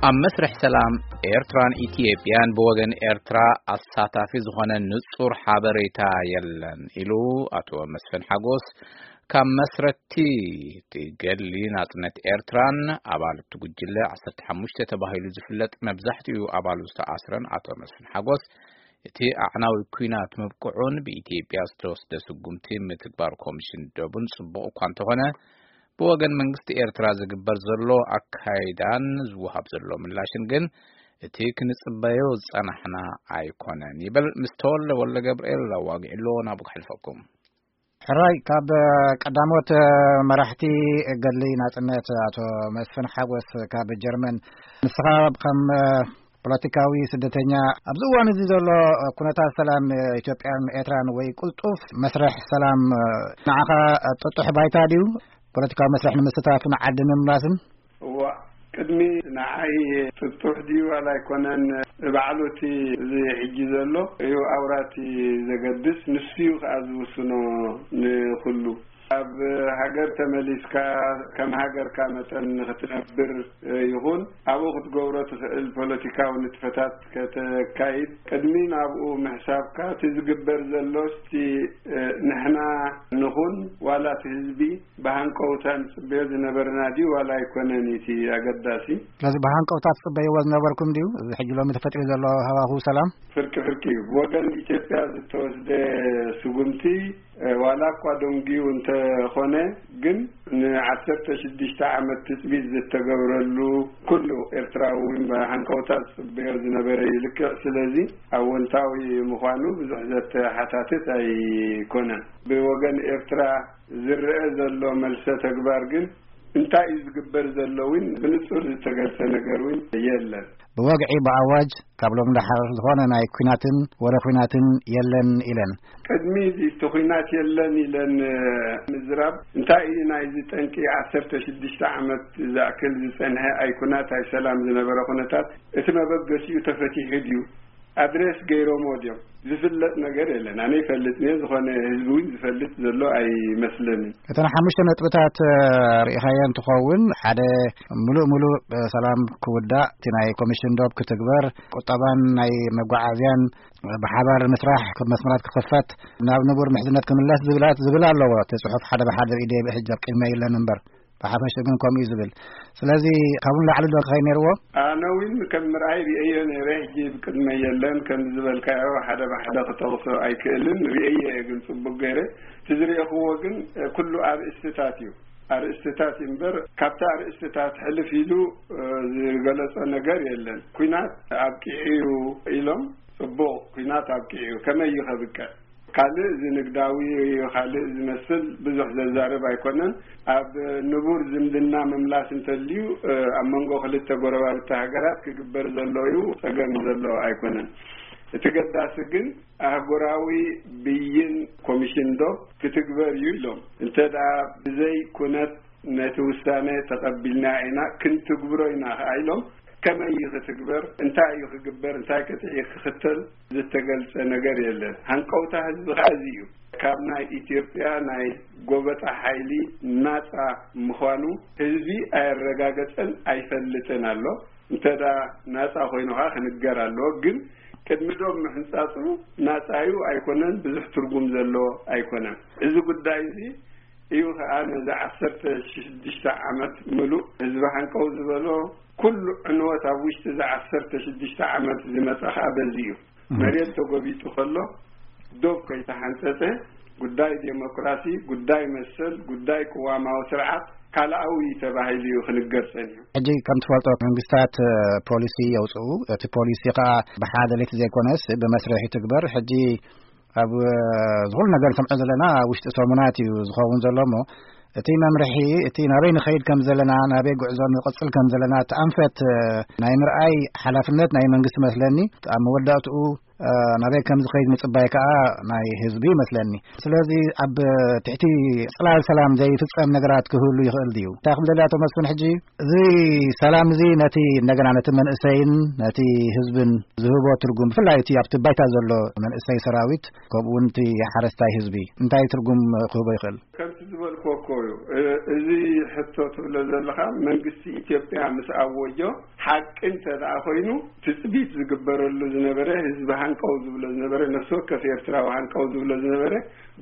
ኣብ መስርሕ ሰላም ኤርትራን ኢትዮጵያን ብወገን ኤርትራ ኣሳታፊ ዝኾነ ንጹር ሓበሬታ የለን ኢሉ ኣቶ መስፍን ሓጎስ፣ ካብ መስረቲ እቲ ገድሊ ናጽነት ኤርትራን ኣባል እቲ ጉጅለ ዓሰርተ ሓሙሽተ ተባሂሉ ዝፍለጥ መብዛሕትኡ ኣባሉ ዝተኣስረን ኣቶ መስፍን ሓጎስ፣ እቲ ኣዕናዊ ኲናት ምብቅዑን ብኢትዮጵያ ዝተወስደ ስጉምቲ ምትግባር ኮሚሽን ደቡን ጽቡቕ እኳ እንተኾነ፣ ብወገን መንግስቲ ኤርትራ ዝግበር ዘሎ ኣካይዳን ዝወሃብ ዘሎ ምላሽን ግን እቲ ክንጽበዮ ዝጸናሕና ኣይኮነን ይብል። ምስ ተወልደ ወልደ ገብርኤል ኣዋጊዕሎ ናብኡ ክሕልፈኩም። ሕራይ፣ ካብ ቀዳሞት መራሕቲ ገድሊ ናጽነት ኣቶ መስፍን ሓጎስ ካብ ጀርመን፣ ንስኻ ከም ፖለቲካዊ ስደተኛ ኣብዚ እዋን እዚ ዘሎ ኩነታት ሰላም ኢትዮጵያን ኤርትራን ወይ ቅልጡፍ መስርሕ ሰላም ንዓኻ ጥጡሕ ባይታ ድዩ? ፖለቲካዊ መስርሕ ንምስታፍን ዓዲ ንምምላስን? እዋ፣ ቅድሚ ንዓይ ጥጡሕ ድዩ ዋላ ኣይኮነን፣ ባዕሉ እቲ እዚ ሕጂ ዘሎ እዩ ኣውራ እቲ ዘገድስ፣ ንሱ እዩ ከኣ ዝውስኖ ንኹሉ። ኣብ ሃገር ተመሊስካ ከም ሃገርካ መጠን ንኽትነብር ይኹን ኣብኡ ክትገብሮ ትኽእል ፖለቲካዊ ንጥፈታት ከተካይድ ቅድሚ ናብኡ ምሕሳብካ እቲ ዝግበር ዘሎ እስቲ ንሕና ንኹን ዋላ እቲ ህዝቢ ብሃንቀውታ ንጽበዮ ዝነበርና ድዩ ዋላ ኣይኮነን እቲ ኣገዳሲ? ስለዚ ብሃንቀውታ ትጽበይዎ ዝነበርኩም ድዩ? እዚ ሕጂ ሎሚ ተፈጢሩ ዘሎ ሃዋህው ሰላም? ፍርቂ ፍርቂ እዩ። ብወገን ኢትዮጵያ ዝተወስደ ስጉምቲ ዋላ እኳ ደንጉዩ እንተኾነ ግን ንዓሰርተ ሽዱሽተ ዓመት ትጽቢት ዝተገብረሉ ኩሉ ኤርትራዊ እውን ብሃንቀውታ ዝጽበዮ ዝነበረ እዩ። ልክዕ ስለዚ ኣወንታዊ ምዃኑ ብዙሕ ዘተሓታትት ኣይኮነን። ብወገን ኤርትራ ዝረአ ዘሎ መልሰ ተግባር ግን እንታይ እዩ ዝግበር ዘሎ እውን ብንጹር ዝተገልጸ ነገር እውን የለን። ብወግዒ ብኣዋጅ ካብ ሎም ደሓር ዝኾነ ናይ ኲናትን ወረ ኲናትን የለን ኢለን። ቅድሚ እዚ እቲ ኲናት የለን ኢለን ምዝራብ እንታይ እዩ ናይዚ ጠንቂ ዓሰርተ ሽዱሽተ ዓመት ዝኣክል ዝጸንሐ ኣይ ኲናት ኣይ ሰላም ዝነበረ ኩነታት እቲ መበገሲኡ ተፈቲሑ ድዩ? ኣድሬስ ገይሮሞ ድዮም? ዝፍለጥ ነገር የለን። ኣነ ይፈልጥ እየ፣ ዝኾነ ህዝቢ እውን ዝፈልጥ ዘሎ ኣይመስለንን። እተን ሓሙሽተ ነጥብታት ርኢኻየን ትኸውን፣ ሓደ፣ ምሉእ ምሉእ ሰላም ክውዳእ፣ እቲ ናይ ኮሚሽን ዶብ ክትግበር፣ ቁጠባን ናይ መጓዓዝያን ብሓባር ምስራሕ፣ መስመራት ክኽፈት፣ ናብ ንቡር ምሕዝነት ክምለስ ዝብላት ዝብል ኣለዎ። እቲ ጽሑፍ ሓደ ብሓደ ርእየ ደይ ብሕጂ ኣብ ቅድመይ የለን እምበር። ብሓፈሽ ግን ከምኡ እዩ ዝብል። ስለዚ ካብኡ ንላዕሊ ዶ ክኸይድ ነይርዎ? ኣነ እውን ከም ምርኣይ ርእየዮ ነይረ። ሕጂ ብቅድመ የለን ከም ዝበልካዮ ሓደ ብሓደ ክጠቕሶ ኣይክእልን። ርእየ እየ ግን ጽቡቅ ገይረ። እቲ ዝርእኽዎ ግን ኩሉ ኣርእስትታት እዩ። ኣርእስትታት እዩ እምበር ካብቲ ኣርእስትታት ሕልፍ ኢሉ ዝገለጾ ነገር የለን። ኲናት ኣብቂዑ እዩ ኢሎም ጽቡቕ ኲናት ኣብቂዑ እዩ። ከመይ እዩ ከብቅዕ? ካልእ እዚ ንግዳዊ ካልእ ዝመስል ብዙሕ ዘዛርብ ኣይኮነን። ኣብ ንቡር ዝምድና ምምላስ እንተልዩ ኣብ መንጎ ክልተ ጎረባብቲ ሃገራት ክግበር ዘሎ እዩ፣ ጸገም ዘሎ ኣይኮነን። እቲ ገዳሲ ግን ኣህጉራዊ ብይን ኮሚሽን ዶብ ክትግበር እዩ ኢሎም። እንተ ደኣ ብዘይ ኩነት ነቲ ውሳነ ተቐቢልና ኢና ክንትግብሮ ኢና ከኣ ኢሎም። ከመይ እዩ ክትግበር? እንታይ እዩ ክግበር? እንታይ ቅጥዒ ክኽተል ዝተገልጸ ነገር የለን። ሃንቀውታ ህዝቢ ከኣ እዚ እዩ። ካብ ናይ ኢትዮጵያ ናይ ጎበጣ ሓይሊ ናጻ ምዃኑ ህዝቢ ኣየረጋገጸን ኣይፈልጥን ኣሎ። እንተ ደኣ ናጻ ኮይኑ ከኣ ክንገር ኣለዎ። ግን ቅድሚ ዶብ ምሕንጻጹ ናጻ እዩ ኣይኮነን፣ ብዙሕ ትርጉም ዘለዎ ኣይኮነን። እዚ ጉዳይ እዚ እዩ ከኣ ነዚ ዓሰርተ ሽዱሽተ ዓመት ምሉእ ህዝቢ ሃንቀው ዝበሎ ኩሉ ዕንወት ኣብ ውሽጢ እዚ ዓሰርተ ሽዱሽተ ዓመት ዝመጸ ከኣ በዚ እዩ። መሬት ተጎቢጡ ከሎ ዶብ ከይተሓንጸጸ ጉዳይ ዴሞክራሲ፣ ጉዳይ መሰል፣ ጉዳይ ቅዋማዊ ስርዓት ካልኣዊ ተባሂሉ እዩ ክንገር ጸኒሑ። ሕጂ ከም ትፈልጦ መንግስታት ፖሊሲ የውጽኡ። እቲ ፖሊሲ ከኣ ብሓደ ለይቲ ዘይኮነስ ብመስርሕ ይትግበር። ሕጂ ኣብ ዝኹሉ ነገር ንሰምዖ ዘለና ውሽጢ ሰሙናት እዩ ዝኸውን ዘሎ እሞ እቲ መምርሒ እቲ ናበይ ንኸይድ ከም ዘለና ናበይ ጉዕዞ ንቕጽል ከም ዘለና እቲ ኣንፈት ናይ ምርኣይ ሓላፍነት ናይ መንግስቲ መስለኒ። ኣብ መወዳእትኡ ናበይ ከም ዝኸይድ ምጽባይ ከኣ ናይ ህዝቢ ይመስለኒ። ስለዚ ኣብ ትሕቲ ጽላል ሰላም ዘይፍጸም ነገራት ክህሉ ይኽእል ድዩ? እንታይ ክብል ደሊ ኣቶ መስፍን፣ ሕጂ እዚ ሰላም እዚ ነቲ እንደገና ነቲ መንእሰይን ነቲ ህዝብን ዝህቦ ትርጉም፣ ብፍላይ እቲ ኣብቲ ባይታ ዘሎ መንእሰይ ሰራዊት፣ ከምኡ እውን እቲ ሓረስታይ ህዝቢ እንታይ ትርጉም ክህቦ ይኽእል? ከምቲ ዝበልኩዎ እኮ እዩ። እ-፣ እዚ ሕቶ ትብሎ ዘለኻ መንግስቲ ኢትዮጵያ ምስ ኣወጆ ሓቂ እንተ ደኣ ኮይኑ ትጽቢት ዝግበረሉ ዝነበረ፣ ህዝቢ ሃንቀው ዝብሎ ዝነበረ፣ ነፍሲ ወከፍ ኤርትራዊ ሃንቀው ዝብሎ ዝነበረ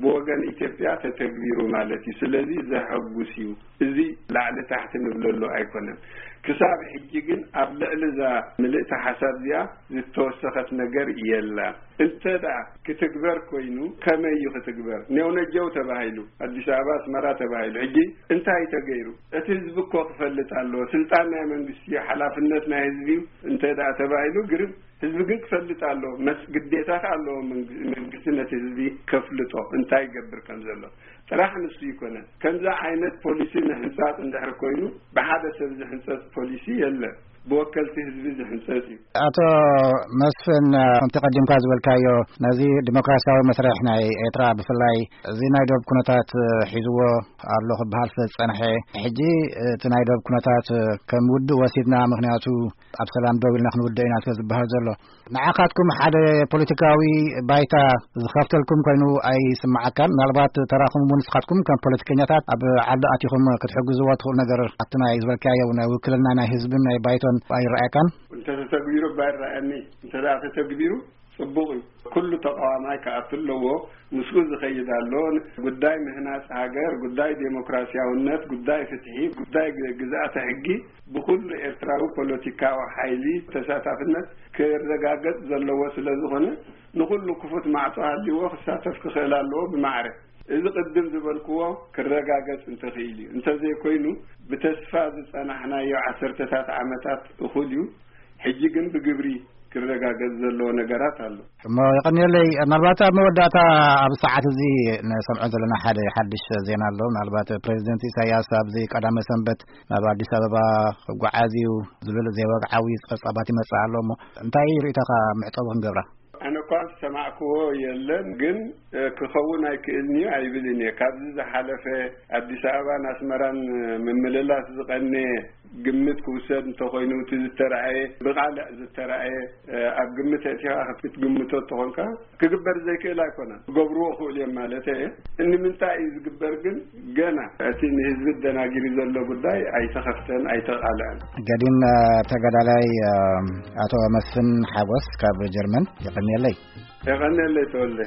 ብወገን ኢትዮጵያ ተተግቢሩ ማለት እዩ። ስለዚ ዘሐጉስ እዩ። እዚ ላዕሊ ታሕቲ ንብለሉ ኣይኮነን። ክሳብ ሕጂ ግን ኣብ ልዕሊ እዛ ምልእቲ ሓሳብ እዚኣ ዝተወሰኸት ነገር የላን። እንተ ደኣ ክትግበር ኮይኑ ከመይ እዩ ክትግበር? ኔውነጀው ተባሂሉ፣ ኣዲስ ኣበባ፣ ኣስመራ ተባሂሉ። ሕጂ እንታይ ተገይሩ? እቲ ህዝቢ እኮ ክፈልጥ ኣለዎ። ስልጣን ናይ መንግስቲ እዩ፣ ሓላፍነት ናይ ህዝቢ እዩ። እንተ ደኣ ተባሂሉ ግርም፣ ህዝቢ ግን ክፈልጥ ኣለዎ። መስ-፣ ግዴታ ከ ኣለዎ መንግ-፣ መንግስቲ ነቲ ህዝቢ ከፍልጦ እንታይ ይገብር ከም ዘሎ። ጥራሕ ንሱ ይኮነን። ከምዚ ዓይነት ፖሊሲ ንህንጻጽ እንድሕር ኮይኑ ብሓደ ሰብ ዝሕንጸጽ ፖሊሲ የለን። ብወከልቲ ህዝቢ ዝሕንጸጽ እዩ። ኣቶ መስፍን፣ ከምቲ ቀዲምካ ዝበልካዮ ነዚ ዲሞክራሲያዊ መስርሕ ናይ ኤርትራ ብፍላይ እዚ ናይ ዶብ ኩነታት ሒዝዎ ኣሎ ክበሃል ስለ ዝጸንሐ፣ ሕጂ እቲ ናይ ዶብ ኩነታት ከም ውድእ ወሲድና፣ ምኽንያቱ ኣብ ሰላም ደው ኢልና ክንውድእ ኢና ስለ ዝበሃል ዘሎ፣ ንዓኻትኩም ሓደ ፖለቲካዊ ባይታ ዝኸፍተልኩም ኮይኑ ኣይስምዓካን? ምናልባት ተራኹም እውን ንስኻትኩም ከም ፖለቲከኛታት ኣብ ዓዲ ኣቲኹም ክትሕግዝዎ ትኽእሉ ነገር ኣብቲ ናይ ዝበልካዮ ናይ ውክልና ናይ ህዝብን ናይ ባይቶን ኣይረኣየካን? እንተ ተተግቢሩ እባ ይረኣየኒ። እንተ ደኣ ተተግቢሩ ጽቡቕ እዩ። ኩሉ ተቃዋማይ ክኣቱ ኣለዎ። ምስኡ ዝኸይድ ኣሎ። ጉዳይ ምህናጽ ሃገር፣ ጉዳይ ዴሞክራሲያውነት፣ ጉዳይ ፍትሒ፣ ጉዳይ ግ-፣ ግዝኣተ ሕጊ ብኹሉ ኤርትራዊ ፖለቲካዊ ሓይሊ ተሳታፍነት ክረጋገጽ ዘለዎ ስለ ዝኾነ፣ ንኹሉ ክፉት ማዕጾ ሃልይዎ ክሳተፍ ክኽእል ኣለዎ ብማዕረ። እዚ ቅድም ዝበልክዎ ክረጋገጽ እንተኽኢል እዩ። እንተዘይኮይኑ፣ ብተስፋ ዝጸናሕናዮ ዓሰርተታት ዓመታት እኹል እዩ። ሕጂ ግን ብግብሪ ክረጋገጽ ዘለዎ ነገራት ኣሎ። እሞ የቐንየለይ፣ ምናልባት ኣብ መወዳእታ፣ ኣብ ሰዓት እዚ ንሰምዖ ዘለና ሓደ ሓድሽ ዜና ኣሎ። ምናልባት ፕሬዚደንት ኢሳያስ ኣብዚ ቀዳመ ሰንበት ናብ ኣዲስ ኣበባ ክጓዓዝ እዩ ዝብል ዘይወግዓዊ ጸብጻባት ይመጽእ ኣሎ። እሞ እንታይ ርእይቶኻ መዕጸዊ ክንገብራ? ኣነ እኳ ዝሰማዕክዎ የለን፣ ግን፣ እ፣ ክኸውን ኣይክእልን እዩ ኣይብልን እየ። ካብዚ ዝሓለፈ ኣዲስ ኣበባን ኣስመራን ምምልላስ ዝቐነየ ግምት ክውሰድ እንተኾይኑ፣ እቲ ዝተረኣየ፣ ብቓልዕ ዝተረኣየ፣ እ፣ ኣብ ግምት ኣእቲኻ ክትግምቶ እንተኾንካ፣ ክግበር ዘይክእል ኣይኮነን። ክገብርዎ ክእሉ እዮም ማለት እየ። ንምንታይ እዩ ዝግበር ግን? ገና እቲ ንህዝቢ ደናጊሩ ዘሎ ጉዳይ ኣይተኸፍተን፣ ኣይተቓልዐን። ገዲም፣ እ፣ ተጋዳላይ፣ እ፣ ኣቶ መስፍን ሓጎስ ካብ ጀርመን፣ የቐንየለይ። የቐንየለይ ተወልደ።